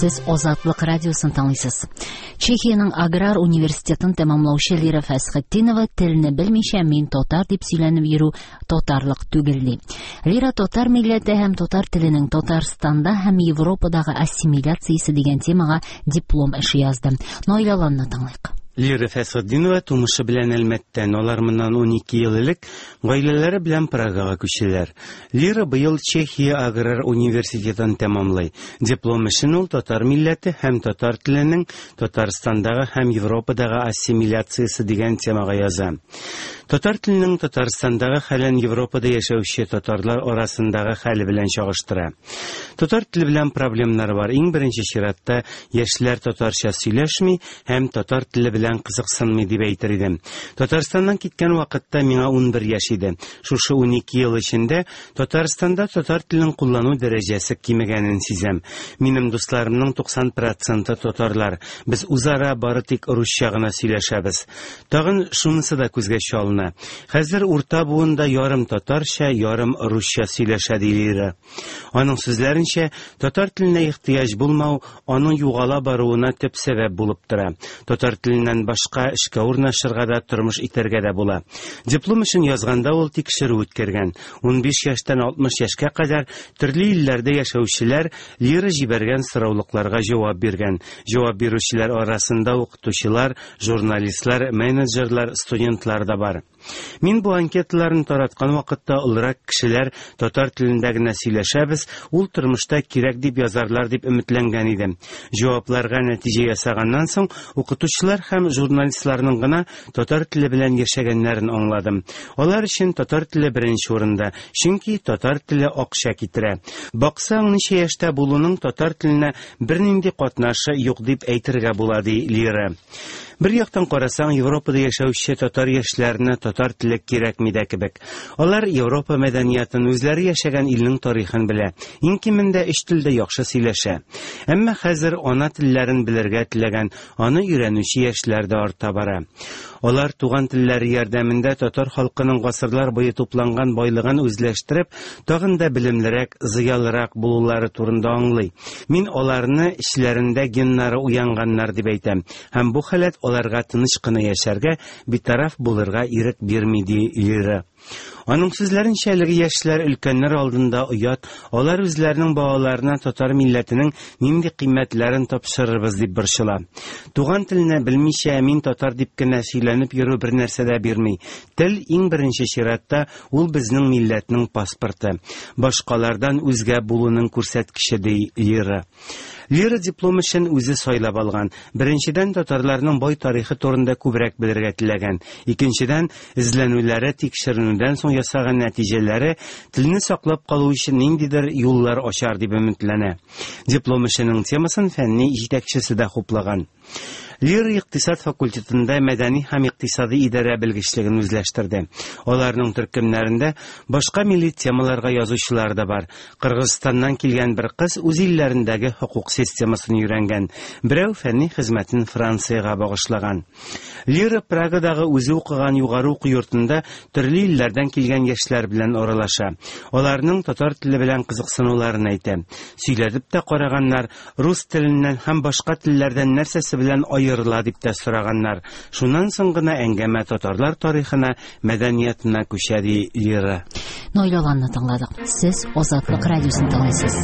Сез Азатлык радиосын тыңлыйсыз. Чехиянең аграр университетын тәмамлаучы Лира Фәсхетдинова телне белмичә мин татар дип сөйләнеп йөрү татарлык түгел ди. Лира татар милләте һәм татар теленең Татарстанда һәм Европадагы ассимиляциясе дигән темага диплом эше язды. Наил Аланны тыңлыйк. Лира Фәсхетдинова тумышы белән Әлмәттән. Алар моннан 12 ел элек гаиләләре белән Прагага күчәләр. Лира быел Чехия аграр университетын тәмамлый. Диплом эшен ул татар милләте һәм татар теленең Татарстандагы һәм Европадагы ассимиляциясе дигән темага яза. Татар теленең Татарстандагы хәлен Европада яшәүче татарлар арасындагы хәле белән чагыштыра. Татар теле белән проблемнар бар. Иң беренче чиратта яшьләр татарча сөйләшми һәм татар теле белән кызыксынмый дип әйтер идем. Татарстаннан киткән вакытта миңа 11 яшь иде. Шушы 12 ел эчендә Татарстанда татар телен куллану дәрәҗәсе кимегәнен сизәм. Минем дусларымның 90 проценты татарлар. Без үзара бары тик русча гына сөйләшәбез. Тагын шунысы да күзгә чалына. Хәзер урта буын да ярым татарча, ярым русча сөйләшә, ди Лира. Аның сүзләренчә, татар теленә ихтыяҗ булмау аның югала баруына төп сәбәп булып тора. Татар теленнән башка эшкә урнашырга да, тормыш итәргә дә була. Диплом эшен язганда ул тикшерү үткәргән. 15 яшьтән 60 яшькә кадәр төрле илләрдә яшәүчеләр Лира җибәргән сораулыкларга җавап биргән. Җавап бирүчеләр арасында укытучылар, журналистлар, менеджерлар, студентлар да бар. Мин бу анкеталарны тараткан вакытта олырак кешеләр татар телендә генә сөйләшәбез, ул тормышта кирәк дип язарлар дип өметләнгән идем. Җавапларга нәтиҗә ясаганнан соң, укытучылар һәм журналистларның гына татар теле белән яшәгәннәрен аңладым. Алар өчен татар теле беренче урында, чөнки татар теле акча китерә. Баксаң, ничә яшьтә булуның татар теленә бернинди катнашы юк дип әйтергә була, ди Лира. Бер яктан карасаң, Европада яшәүче татар яшьләренә татар теле кирәкми дә кебек. Алар Европа мәдәниятын, үзләре яшәгән илнең тарихын белә. Иң кимендә өч телдә яхшы сөйләшә. Әмма хәзер ана телләрен белергә теләгән, аны өйрәнүче яшьләр дә арта бара. Алар туган телләре ярдәмендә татар халкының гасырлар буе тупланган байлыгын үзләштереп, тагын да белемлерәк, зыялырак булулары турында аңлый. Мин аларны эчләрендә геннары уянганнар дип әйтәм. Һәм бу халәт аларга тыныч кына яшәргә, битараф булырга ирек бирми, ди Лира. Аның сүзләренчә, әлеге яшьләр өлкәннәр алдында оят, алар үзләренең балаларына татар милләтенең нинди кыйммәтләрен тапшырырбыз дип борчыла. Туган телне белмичә, мин татар дип кенә сөйләнеп йөрү бер нәрсә дә бирми. Тел иң беренче чиратта ул безнең милләтнең паспорты. Башкалардан үзгә булуның күрсәткече, ди Лира. Лира диплом эшен үзе сайлап алган. Беренчедән, татарларның бай тарихы турында күбрәк белергә теләгән. Икенчедән, эзләнүләре, тикшеренүдән соң ясаган нәтиҗәләре телне саклап калу өчен ниндидер юллар ачар дип өметләнә. Диплом эшенең темасын фәнни җитәкчесе дә хуплаган. Лира икътисад факультетында мәдәни һәм икътисади идарә белгечлеген үзләштерде. Аларның төркемнәрендә башка милли темаларга язучылар да бар. Кыргызстаннан килгән бер кыз үз илләрендәге хокук системасын өйрәнгән. Берәү фәнни хезмәтен Франциягә багышлаган. Лира Прагадагы үзе укыган югары уку йортында төрле илләрдән килгән яшьләр белән аралаша. Аларның татар теле белән кызыксынуларын әйтә. Сөйләтеп тә караганнар, рус теленнән һәм башка телләрдән нәрсәсе белән аерыла дип тә сораганнар. Шуннан соң гына әңгәмә татарлар тарихына, мәдәниятына күчә, ди Лира. Наил Аланны тыңладык. Сез Азатлык радиосын тыңлыйсыз.